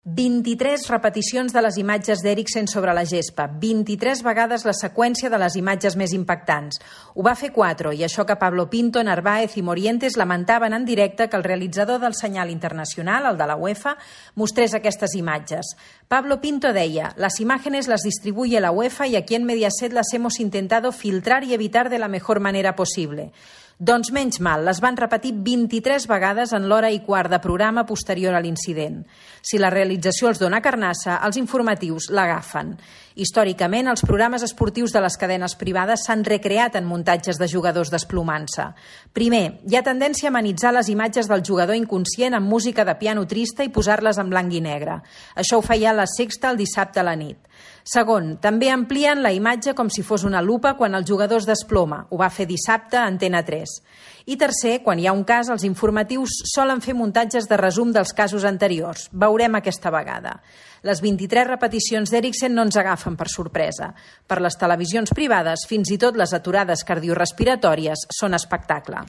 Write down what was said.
23 repeticions de les imatges d'Eriksen sobre la gespa, 23 vegades la seqüència de les imatges més impactants. Ho va fer Cuatro, i això que Pablo Pinto, Narváez i Morientes lamentaven en directe que el realitzador del senyal internacional, el de la UEFA, mostrés aquestes imatges. Pablo Pinto deia: «Las imágenes las distribuye la UEFA y aquí en Mediaset las hemos intentado filtrar y evitar de la mejor manera posible». Doncs menys mal, les van repetir 23 vegades en l'hora i quart de programa posterior a l'incident. Si la realització els dona carnassa, els informatius l'agafen. Històricament, els programes esportius de les cadenes privades s'han recreat en muntatges de jugadors desplomant-se. Primer, hi ha tendència a amenitzar les imatges del jugador inconscient amb música de piano trista i posar-les en blanc i negre. Això ho feia La Sexta el dissabte a la nit. Segon, també amplien la imatge com si fos una lupa quan el jugador es desploma. Ho va fer dissabte a Antena 3. I tercer, quan hi ha un cas, els informatius solen fer muntatges de resum dels casos anteriors. Veurem aquesta vegada. Les 23 repeticions d'Eriksen no ens agafen per sorpresa. Per les televisions privades, fins i tot les aturades cardiorespiratòries són espectacle.